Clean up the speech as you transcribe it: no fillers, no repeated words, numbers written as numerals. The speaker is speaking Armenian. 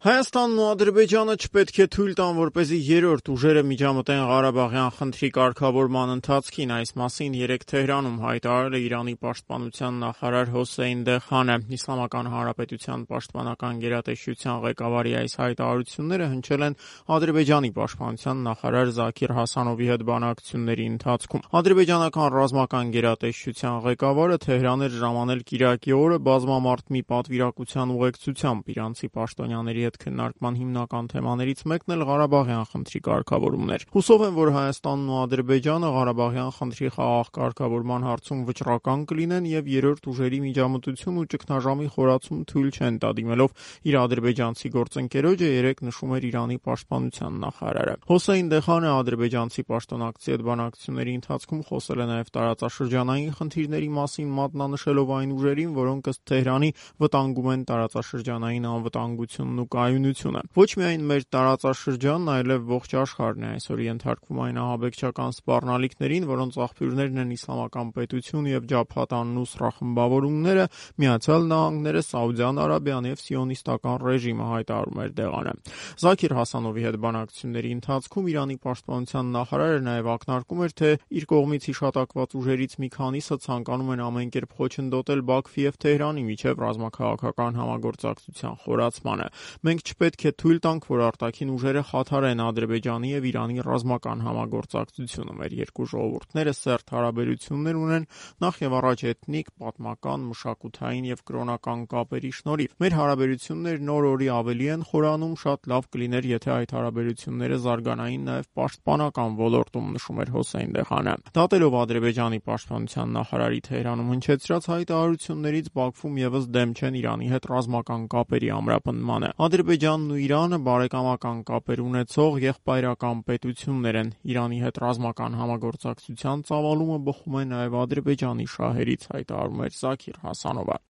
Հայաստանն ու Ադրբեջանը չպետք է թույլ տան, որպեսզի երրորդ ուժերը միջամտեն Ղարաբաղյան խնդրի կարգավորման ընթացքին։ Այս մասին երեկ Թեհրանում հայտարարել է Իրանի պաշտպանության նախարար Հոսեյն Դեխանը։ Իսլամական Հանրապետության պաշտպանական գերատեսչության ղեկավարի այս հայտարարությունները հնչել են Ադրբեջանի պաշտպանության նախարար Զաքիր Հասանովի հետ բանակցությունների ընթացքում։ Ադրբեջանական ռազմական գերատեսչության ղեկավարը Թեհրան էր ժամանել կիրակի օրը բազմամարդ մի պատվիրակության ուղեկցությամբ։ Իրանցի պաշտոնյաների հետ քննարկման հիմնական թեմաներից մեկն էլ Ղարաբաղյան խնդրի կարգավորումն էր։ Հուսով եմ, որ Հայաստանն ու Ադրբեջանը Ղարաբաղյան խնդրի խաղաղ կարգավորման հարցում վճռական կլինեն եւ երրորդ ուժերի միջամտություն ու ճգնաժամի խորացում թույլ չեն տա, դիմելով իր ադրբեջանցի գործընկերոջը երեկ նշում էր Իրանի պաշտպանության նախարարը։ Հոսեյն Դեխանը ադրբեջանցի պաշտոնակցի հետ բանակցությունների ընթացքում խոսել է նաեւ տարածաշրջանային խնդիրների մասին, մատնանշելով այն ուժերին, որոնք ըստ Թեհրանի վտանգում են տարածաշրջանային անվտանգությունն ու կայունությունը։ Ոչ միայն մեր տարածաշրջանն, այլև ողջ աշխարհն է այսօր ենթարկվում այն ահաբեկչական սպառնալիքներին, որոնց աղբյուրներն են Իսլամական պետություն եւ Ջաբհաթ ան-Նուսրա խմբավորումները, Միացյալ Նահանգները, Սաուդյան Արաբիան եւ սիոնիստական ռեժիմը, հայտարարում էր Դեղանը։ Զաքիր Հասանովի հետ բանակցությունների ընթացքում Իրանի պաշտպանության նախարարը նաեւ ակնարկում էր, թե իր կողմից հիշատակված ուժերից մի քանիսը ցանկանում են ամեն կերպ խոչընդոտել Բաքվի եւ Թեհրանի միջև ռազմաքաղաքական համագործակցության խորացմանը։ Մենք չպետք է թույլ տանք, որ արտաքին ուժերը խաթարեն Ադրբեջանի եւ Իրանի ռազմական համագործակցությունը։ Մեր երկու ժողովուրդները սերտ հարաբերություններ ունեն նախ եւ առաջ էթնիկ, պատմական, մշակութային եւ կրոնական կապերի շնորհիվ։ Մեր հարաբերություններն օր-օրի ավելի են խորանում, շատ լավ կլիներ, եթե այդ հարաբերությունները զարգանային նաեւ պաշտպանական ոլորտում, նշում էր Հոսեյն Դեխանը։ Դատելով Ադրբեջանի պաշտպանության նախարարի Թեհրանում հնչեցրած հայտարարություններից, Բաքվում եւս դեմ չեն Իրանի հետ ռազմական կապերի ամրապնդմանը։ Ադրբեջանն ու Իրանը բարեկամական կապեր ունեցող եղբայրական պետություններ են։ Իրանի հետ ռազմական համագործակցության ծավալումը բխում է նաև Ադրբեջանի շահերից, հայտարարում էր Զաքիր Հասանովը։